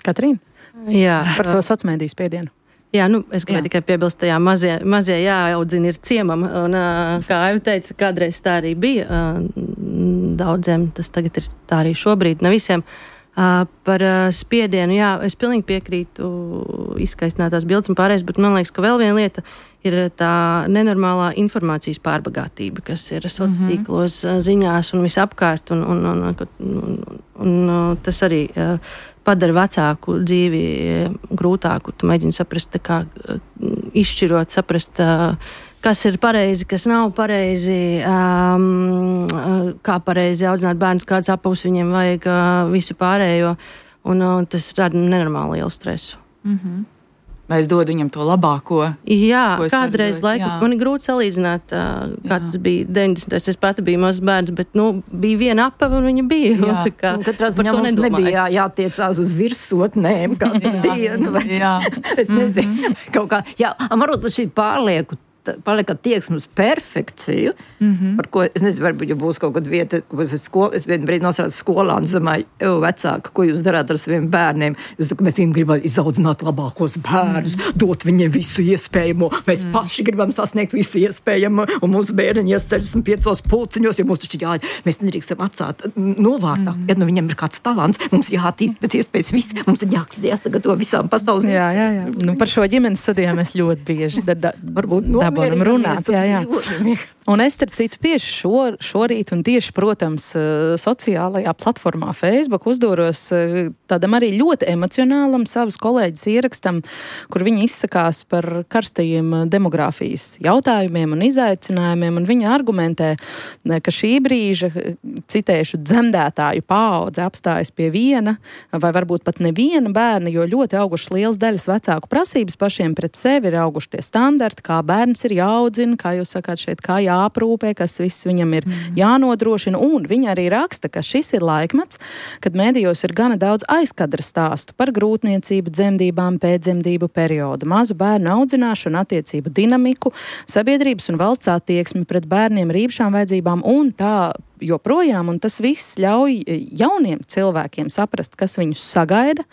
Speaker 3: Katrīna?
Speaker 5: Jā.
Speaker 3: Par to sociālmediju spiedienu.
Speaker 5: Jā, es gribēju tikai piebilst, tajā mazie jāaudzina ir ciemam, un kā Aiva teica, kādreiz tā arī bija daudziem, tas tagad ir tā arī šobrīd, ne visiem. Par spiedienu, jā, es pilnīgi piekrītu izskaistinātās bildes un pārējais, bet man liekas, ka vēl viena lieta ir tā nenormālā informācijas pārbagātība, kas ir sociālos tīklos, ziņās un visapkārt, un tas arī padara vecāku dzīvi grūtāku. Tu mēģini saprast, izšķirot, saprast, kas ir pareizi, kas nav pareizi, kā pareizi audzināt bērnus, kādas apavus viņiem vajag, visu pārējo, un tas rada nenormāli lielu stresu.
Speaker 4: Vai es dodu viņam to labāko?
Speaker 5: Jā, kādreiz laikam man ir grūti salīdzināt, kā tas bija 90. Es pati biju mazs bērns, bet bija viena apava un viņa bija.
Speaker 6: Katrā ziņā mums nebija jātiecās uz virsotnēm katru dienu. Es nezinu, kaut kā. Jā, varbūt šī pārlieku palika tieksme uz perfekciju, par ko, es nezinu, varbūt, ja būs kaut kāda vieta, es vienu brīdi nosaucu skolā un domāju, vecāka, ko jūs darāt ar saviem bērniem? Jūs domājat, mēs viņiem gribam izaudzināt labākos bērnus, dot viņiem visu iespējamo, mēs paši gribam sasniegt visu iespējamo, un mūsu bērni ies 65 pulciņos, jo mums taču mēs nedrīkstam atstāt novārtā. Ja nu viņam ir kāds talants, mums jātīst pēc iespējas viss, mums ir jāsagatavo visām pasaules.
Speaker 3: Jā. Nu, par šo ģimenes studijām mēs ļoti bieži dabonam runāt. Jā. Un es, starp citu, tieši šorīt un tieši, protams, sociālajā platformā Facebook uzdūros tādam arī ļoti emocionālam savus kolēģis ierakstam, kur viņi izsakās par karstajiem demogrāfijas jautājumiem un izaicinājumiem, un viņi argumentē, ka šī brīža, citēšu, dzemdētāju paudze apstājas pie viena, vai varbūt pat neviena bērna, jo ļoti augušas liels daļas vecāku prasības pašiem pret sevi, ir auguši tie standarti, kā bērns ir jāaudzina, kā jūs sakāt šeit, kā jāaprūpē, kas viss viņam ir jānodrošina, un viņi arī raksta, ka šis ir laikmets, kad mēdījos ir gana daudz aizkadra stāstu par grūtniecību, dzemdībām, pēcdzemdību periodu, mazu bērnu audzināšanu, attiecību dinamiku, sabiedrības un valsts attieksmi pret bērniem ar īpašām vajadzībām un tā joprojām, un tas viss ļauj jauniem cilvēkiem saprast, kas viņus sagaida,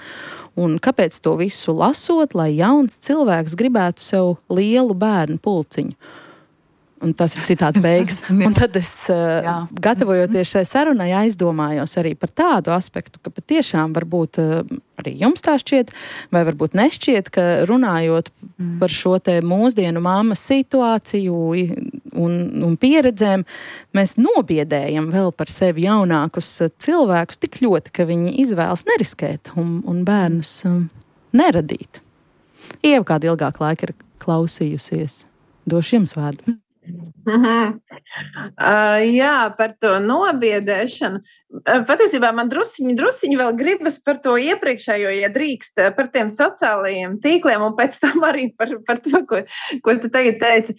Speaker 3: un kāpēc to visu lasot, lai jauns cilvēks gribētu sev lielu bērnu pulciņu. Un tas ir citāts beigas. Un tad es, gatavojoties šai sarunai, aizdomājos arī par tādu aspektu, ka patiešām varbūt arī jums tā šķiet, vai varbūt nešķiet, ka runājot par šo te mūsdienu mammas situāciju un pieredzēm, mēs nobiedējam vēl par sevi jaunākus cilvēkus tik ļoti, ka viņi izvēlas neriskēt un bērnus neradīt. Ieva kādu ilgāku laiku ir klausījusies. Došu jums vārdu.
Speaker 7: Jā, par to nobiedēšanu. Patiesībā man drusciņi vēl gribas par to iepriekšējo, ja drīkst, par tiem sociālajiem tīkliem un pēc tam arī par to, ko tu tagad teici.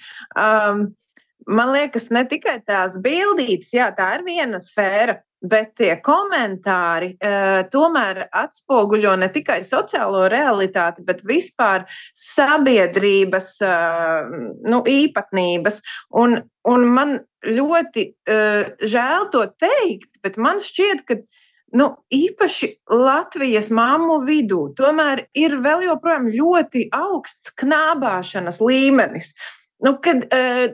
Speaker 7: Man liekas, ne tikai tās bildītes, jā, tā ir viena sfēra, bet tie komentāri tomēr atspoguļo ne tikai sociālo realitāti, bet vispār sabiedrības īpatnības. Un man ļoti žēl to teikt, bet man šķiet, ka īpaši Latvijas mammu vidū tomēr ir vēl joprojām ļoti augsts knābāšanas līmenis. Kad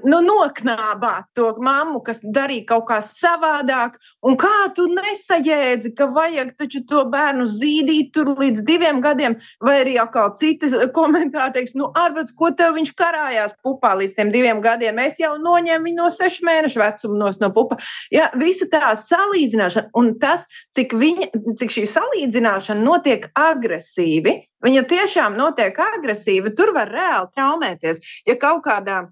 Speaker 7: noknābāt to mammu, kas darīja kaut kā savādāk, un kā tu nesajēdzi, ka vajag taču to bērnu zīdīt tur līdz 2 gadiem, vai arī atkal citi komentāri teiks, ārpēc, ko tev viņš karājās pupā līdz tiem 2 gadiem, es jau noņēmu viņu no 6 mēnešu vecuma no pupa. Jā, visa tā salīdzināšana, un tas, cik šī salīdzināšana notiek agresīvi, viņa tiešām notiek agresīvi, tur var reāli traumēties. Ja kaut kādā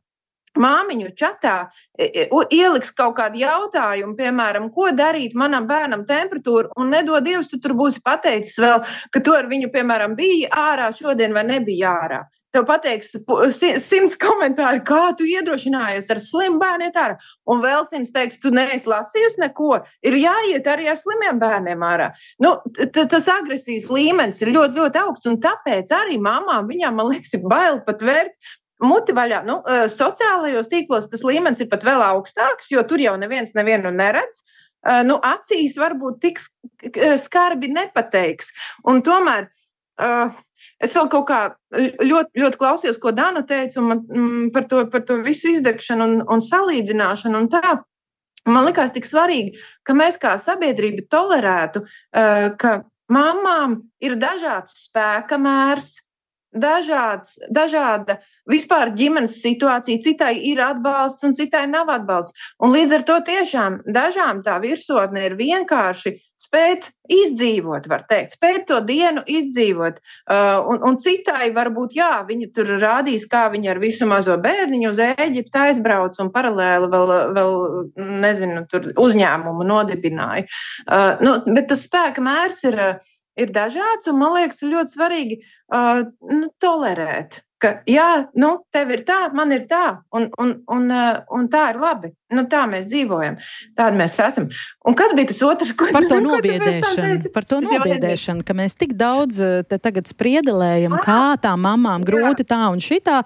Speaker 7: māmiņu čatā ieliks kaut kādu jautājumu, piemēram, ko darīt manam bērnam temperatūru, un nedod Dievs, tu tur būsi pateicis vēl, ka tu ar viņu, piemēram, bija ārā šodien vai nebija ārā. Tev pateiks 100 komentāri, kā tu iedrošinājies ar slimu bērnu iet ārā. Un vēl 100 teiks, tu neesi lasījusi neko, ir jāiet arī ar slimiem bērniem ārā. Tas agresijas līmenis ir ļoti, ļoti augsts, un tāpēc arī mamām, viņām, man liekas, ir bail pat vērt muti vaļā. Sociālajos tīklos tas līmenis ir pat vēl augstāks, jo tur jau neviens nevienu neredz. Acīs varbūt tik skarbi nepateiks. Un tomēr es vēl kaut kā ļoti, ļoti klausījos, ko Dana teica, un par to visu izdegšanu un salīdzināšanu un tā. Man likās tik svarīgi, ka mēs kā sabiedrība tolerētu, ka mamām ir dažāds spēka mērs, dažāda vispār ģimenes situācija, citai ir atbalsts un citai nav atbalsts. Un līdz ar to tiešām dažām tā virsotne ir vienkārši spēt izdzīvot, var teikt, spēt to dienu izdzīvot. Un citai varbūt, jā, viņa tur rādīs, kā viņa ar visu mazo bērniņu uz Ēģiptu aizbrauc un paralēli vēl nezinu, tur uzņēmumu nodibināja. Bet tas spēka mērs ir dažāds, un man liekas, ir ļoti svarīgi tolerēt. ka jā, tev ir tā, man ir tā, un tā ir labi. Tā mēs dzīvojam, tādi mēs esam. Un kas bija tas otrs?
Speaker 3: Par to nobiedēšanu, ka mēs tik daudz te tagad spriedelējam, kā tā mamām grūti tā un šitā,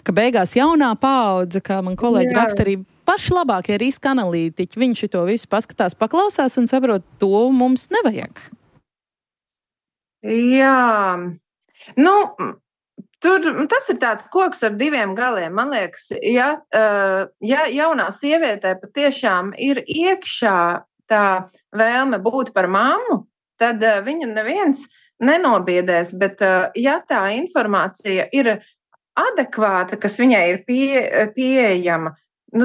Speaker 3: ka beigās jaunā paudze, kā man kolēģi raksta arī paši labākie riska analītiķi, viņi šito visu paskatās, paklausās un saprot, to mums nevajag.
Speaker 7: Jā, tas ir tāds koks ar diviem galiem. Man liekas, ja jaunā sievietē patiešām ir iekšā tā vēlme būt par mammu, tad viņa neviens nenobiedēs, bet ja tā informācija ir adekvāta, kas viņai ir pieejama,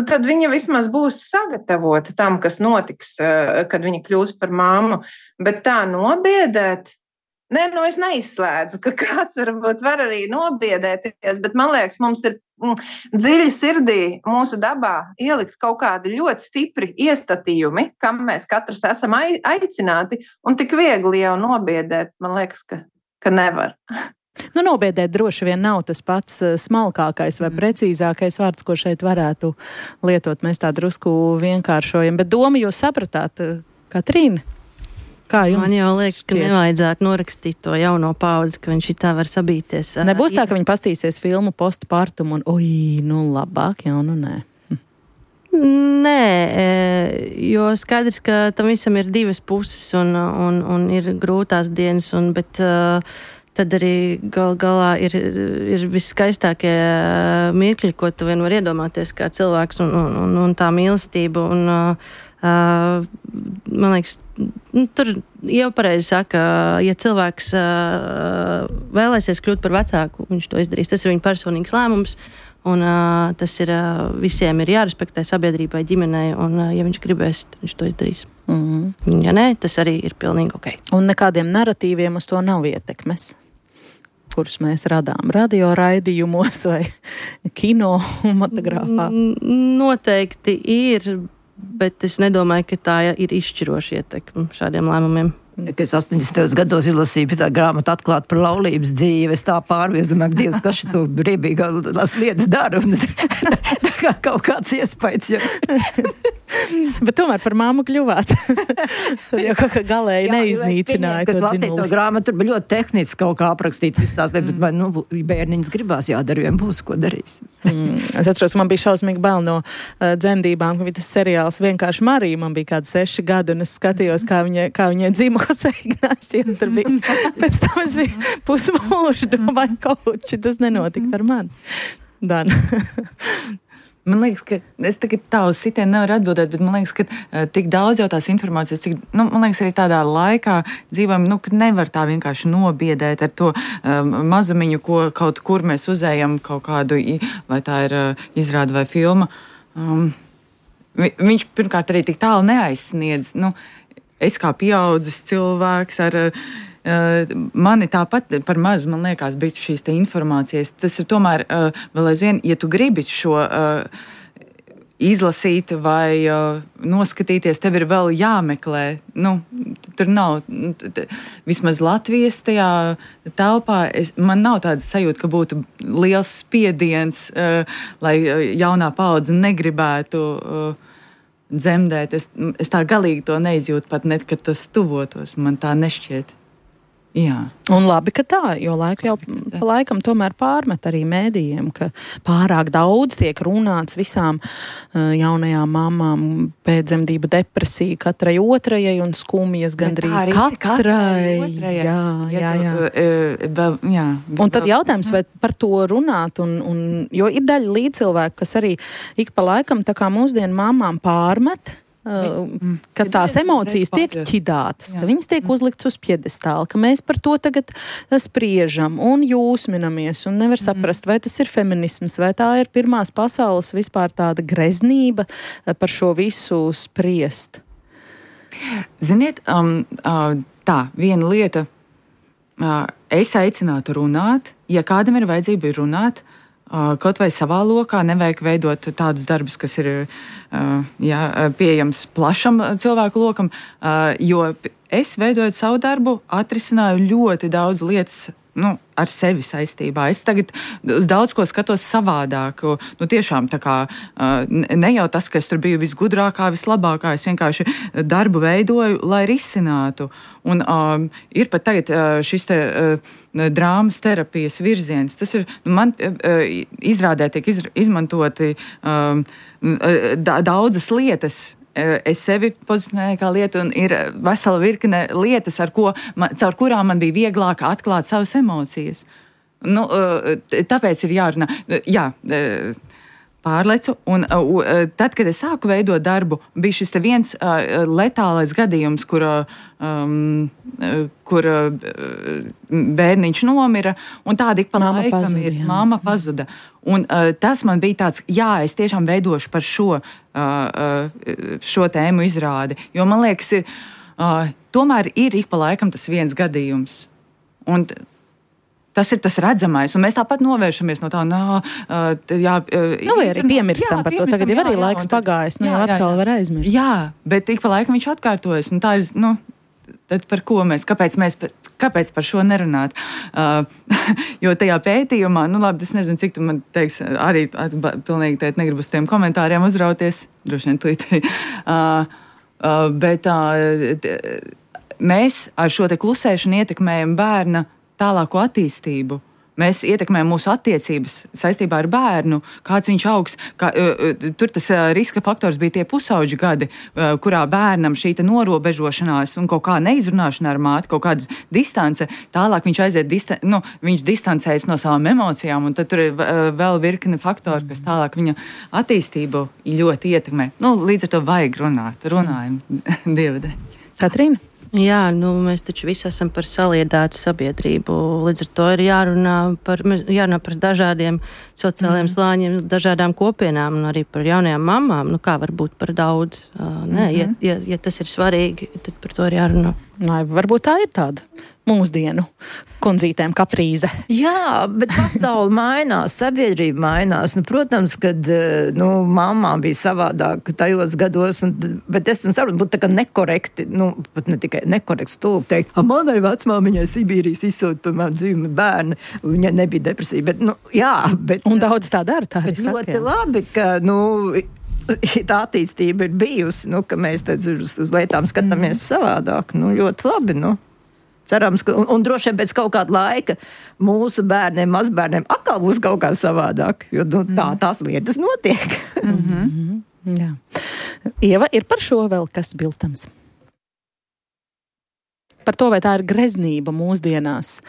Speaker 7: tad viņa vismaz būs sagatavota tam, kas notiks, kad viņa kļūs par mammu. Bet tā nobiedēt, es neizslēdzu, ka kāds varbūt var arī nobiedēties, bet man liekas, mums ir dziļi sirdī mūsu dabā ielikt kaut kādi ļoti stipri iestatījumi, kam mēs katrs esam aicināti, un tik viegli jau nobiedēt, man liekas, ka nevar.
Speaker 3: Nobiedēt droši vien nav tas pats smalkākais vai precīzākais vārds, ko šeit varētu lietot. Mēs tā drusku vienkāršojam, bet domu jūs sapratāt, Katrīna? Kā jums
Speaker 5: Man jau liekas, ka nevajadzētu norakstīt to jauno paudzi, ka viņš tā var sabīties.
Speaker 3: Nebūs tā, ka viņi pastīsies filmu postpartum un, labāk jau, nē.
Speaker 5: Nē, jo skaidrs, ka tam visam ir divas puses un ir grūtās dienas, bet tad arī galā ir viskaistākie mirkļi, ko tu vien var iedomāties kā cilvēks un tā mīlestība. Man liekas, tur jau pareizi saka, ja cilvēks vēlēsies kļūt par vecāku, viņš to izdarīs. Tas ir viņa personīgs lēmums, un tas ir visiem ir jārespektē sabiedrībai, ģimenei, un ja viņš gribēs, viņš to izdarīs. Ja nē, tas arī ir pilnīgi ok.
Speaker 3: Un nekādiem naratīviem uz to nav ietekmes, kurus mēs radām radio raidījumos vai kinematogrāfā?
Speaker 5: Noteikti ir, bet es nedomāju, ka tā ir izšķiroša ietekme šādiem lēmumiem.
Speaker 6: Kad es 80. gados izlasīju tā grāmatu Atklāt par laulības dzīvi, es tā pārvies, domāju, Dievs, kas šito briebīgās lietas dara, un tā kā kaut kāds iespējas jau.
Speaker 3: Bet tomēr par māmu kļuvāt. Tad jau kaut kā galēji neiznīcināja to dzinuli.
Speaker 6: Kas to grāmatu, tur bija ļoti tehniski kaut kā aprakstīts viss tās, bet bērniņas gribās jādara, vien būs, ko darīs.
Speaker 3: Es atceros, man bija šausmīgi bail no dzemdībām, ka bija tas seriāls Vienkārši Marija, man bija kādi 6 gadi, un es skatījos, kā viņai dzima Jose Ignācija, tur bija. Pēc tam es biju pusmūžu, domāju, kaut tas nenotika ar mani. Dan.
Speaker 4: Man liekas, ka es tagad tā uz sitienu nevaru atbildēt, bet man liekas, ka tik daudz jau tās informācijas, man liekas, arī tādā laikā dzīvojam, ka nevar tā vienkārši nobiedēt ar to mazumiņu, ko kaut kur mēs uzējam kaut kādu, vai tā ir izrāda vai filma. Viņš pirmkārt arī tik tālu neaizsniedz. Es kā pieaudzis cilvēks ar mani tāpat par maz, man liekas, bija šīs te informācijas. Tas ir tomēr vēl aizvien, ja tu gribi šo izlasīt vai noskatīties, tev ir vēl jāmeklē. Tur nav, vismaz Latvijas tajā telpā, man nav tāda sajūta, ka būtu liels spiediens, lai jaunā paudze negribētu dzemdēt. Es tā galīgi to neizjūtu pat net, kad tas tuvotos. Man tā nešķiet. Jā.
Speaker 3: Un labi, ka tā, jo laiku jau pa laikam tomēr pārmet arī mēdījiem, ka pārāk daudz tiek runāts visām jaunajām mamām, pēcdzemdību depresija katrai otrajai un skumjas gandrīz katrai. Jā. Un tad jautājums, vai par to runāt, jo ir daļa līdzcilvēku, kas arī ik pa laikam tā kā mūsdienu mamām pārmet, ka tās emocijas tiek ķidātas, ka viņas tiek uzliktas uz pjedestāla, ka mēs par to tagad spriežam un jūsminamies un nevar saprast, vai tas ir feminisms, vai tā ir pirmās pasaules vispār tāda greznība par šo visu spriest.
Speaker 4: Ziniet, tā, viena lieta, es aicinātu runāt, ja kādam ir vajadzība runāt, kaut vai savā lokā, nevajag veidot tādus darbus, kas ir pieejams plašam cilvēku lokam, jo es veidojot savu darbu, atrisināju ļoti daudz lietas ar sevi saistībā. Es tagad uz daudz ko skatos savādāk. Tiešām tā kā ne jau tas, ka es tur biju visgudrākā, vislabākā, es vienkārši darbu veidoju, lai risinātu. Un ir pat tagad šis te drāmas terapijas virziens. Tas ir, man izrādē tiek izmantoti daudzas lietas. Es sevi pozicionēju kā lietu, un ir vesela virkne lietas, caur kurām man bija vieglāk atklāt savas emocijas. Tāpēc ir jārunā. Jā, pārlecu, un tad, kad es sāku veidot darbu, bija šis te viens letālais gadījums, kur bērniņš nomira, un tādi ik pa laikam ir. Māma pazuda. Un tas man bija tāds, es tiešām veidošu par šo tēmu izrādi, jo man liekas, tomēr ir ik pa laikam tas viens gadījums. Un tas ir tas redzamais, un mēs tāpat novēršamies no tā,
Speaker 3: vai arī piemirstam par to. Tagad jau arī laiks pagājis, jau atkal var aizmirst.
Speaker 4: Jā, bet ik pa laikam viņš atkārtojas, un tā ir, tad par ko kāpēc par šo nerunāt? Jo tajā pētījumā, labi, es nezinu, cik tu man teiks, arī pilnīgi tēt negribu uz tiem komentāriem uzrauties, droši vien tūlīt arī. Bet mēs ar šo te klusēšanu ietekmējam bērna tālāko attīstību. Mēs ietekmējam mūsu attiecības saistībā ar bērnu, kāds viņš augs. Tur tas riska faktors bija tie pusauģi gadi, kurā bērnam šī norobežošanās un kaut kā neizrunāšana ar māti, kaut kāda distance, tālāk viņš aiziet, viņš distancējas no savām emocijām, un tad tur ir vēl virkne faktori, kas tālāk viņa attīstību ļoti ietekmē. Līdz ar to vajag runājam, Dievadē.
Speaker 3: Katrīna?
Speaker 5: Jā, mēs taču visi esam par saliedētu sabiedrību. Līdz ar to ir jārunā par dažādiem sociālajiem slāņiem, dažādām kopienām un arī par jaunajām mamām. Kā var būt par daudz? Ja tas ir svarīgi, tad par to ir jārunā.
Speaker 3: Varbūt tā ir tāda mūsdienu kundzītēm kaprīze.
Speaker 6: Jā, bet pasaule mainās, sabiedrība mainās. Protams, kad mamma bija savādāk tajos gados, bet es saprotu, būtu tā kā nekorekti, pat ne tikai nekorekts stulbi teikt, manai vecmāmiņai Sibīrijas izsūta par manu dzīvi bērni, viņa nebija depresija, bet, bet...
Speaker 3: Un daudz tā dara, tā arī saka.
Speaker 6: Ļoti labi, ka, tā attīstība ir bijusi, ka mēs uz lietām skatāmies savādāk. Ļoti labi, Cerams, ka, un droši vien pēc kaut kāda laika mūsu bērniem, mazbērniem atkal būs kaut kā savādāk, jo tās lietas notiek.
Speaker 3: Jā. Ieva, ir par šo vēl kas bilstams? Par to, vai tā ir greznība mūsdienās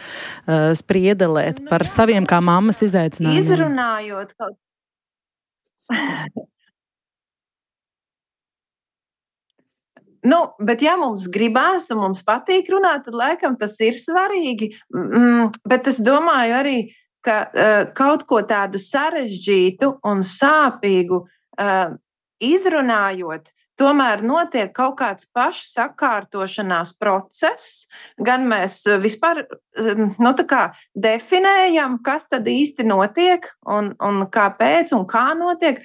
Speaker 3: spriedelēt par saviem kā mammas izaicinājumiem?
Speaker 7: Izrunājot kaut bet ja mums gribās un mums patīk runāt, tad laikam tas ir svarīgi. Bet es domāju arī, ka kaut ko tādu sarežģītu un sāpīgu izrunājot, tomēr notiek kaut kāds pašsakārtošanās process. Gan mēs vispār definējam, kas tad īsti notiek un kāpēc un kā notiek.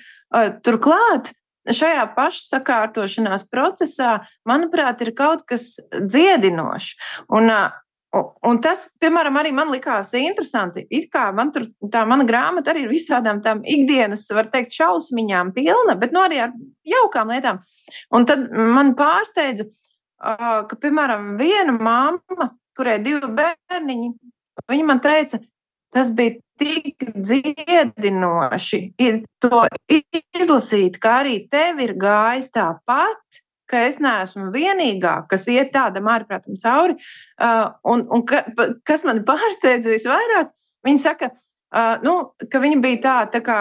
Speaker 7: Turklāt, šajā pašsakārtošanās procesā, manuprāt, ir kaut kas dziedinošs. Un tas, piemēram, arī man likās interesanti. It kā mana grāmata arī ir visādām tām ikdienas, var teikt, šausmiņām pilna, bet arī ar jaukām lietām. Un tad man pārsteidza, ka, piemēram, viena mamma, kurai 2 bērniņi, viņa man teica, tas bija tik dziedinoši to izlasīt, ka arī tev ir gājis tāpat, ka es neesmu vienīgā, kas iet tādam ārprātam cauri. Kas mani pārsteidza visvairāk, viņa saka, ka viņa bija tā kā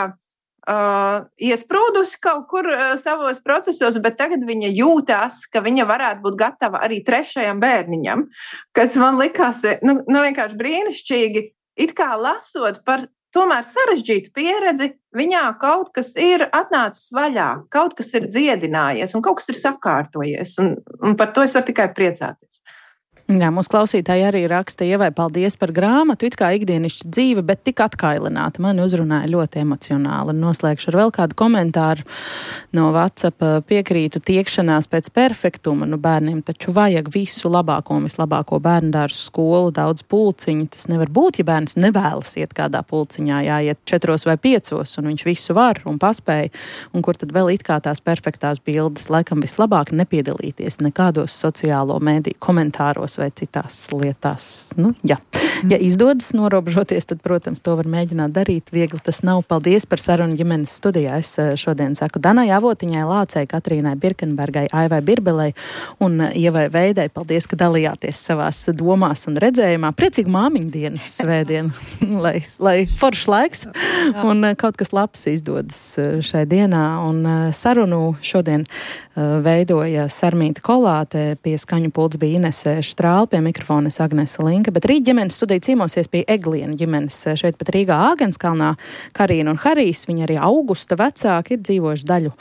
Speaker 7: iesprūdusi kaut kur savos procesos, bet tagad viņa jūtās, ka viņa varētu būt gatava arī 3. bērniņam, kas man likās vienkārši brīnišķīgi. It kā lasot par tomēr sarežģītu pieredzi, viņā kaut kas ir atnācis vaļā, kaut kas ir dziedinājies un kaut kas ir sakārtojies. Un par to es varu tikai priecāties.
Speaker 3: Jā, mūsu klausītāji arī raksta, Ievai, paldies par grāmatu, it kā ikdienišķa dzīve, bet tik atkailināta. Mani uzrunāja ļoti emocionāli. Noslēgšu ar vēl kādu komentāru no WhatsApp. Piekrītu tiekšanās pēc perfektuma. Bērniem taču vajag visu labāko un vislabāko bērndārzu, skolu, daudz pulciņu. Tas nevar būt, ja bērns nevēlas iet kādā pulciņā, jāiet 4 vai 5, un viņš visu var un paspēja. Un kur tad vēl it kā tās perfektās bildes? Laikam vislabāk nepiedalīties nekādos sociālo mēdīju komentāros vai citās lietās. Ja izdodas norobežoties, tad, protams, to var mēģināt darīt. Viegli tas nav. Paldies par sarunu ģimenes studijā. Es šodien saku Danai Avotiņai, Lācei, Katrīnai Birkenbergai, Aivai Birbelei un Ievai Veidai. Paldies, ka dalījāties savās domās un redzējumā. Priecīgu māmiņu dienu svētdienu, lai foršs laiks un kaut kas labs izdodas šai dienā. Un sarunu šodien veidoja Sarmīta Kolāte, pie skaņu pults bija Inese Štrāle, pie mikrofona Agnese Linka, bet rīt ģimenes studija ciemosies pie Eglienu ģimenes šeit pat Rīgā Āgenskalnā. Karīna un Harijs, viņi arī Augusta vecāki, ir dzīvojuši daļu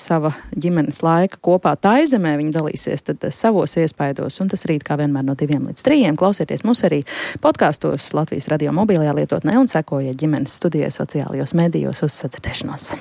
Speaker 3: sava ģimenes laika kopā Taizemē. Viņi dalīsies tad savos iespaidos, un tas rīt kā vienmēr no 2 līdz 3. Klausieties mūs arī podkastos Latvijas radio mobilajā lietotnē un sekojiet ģimenes studijai sociālajos medijos. Uz sadzirdēšanos!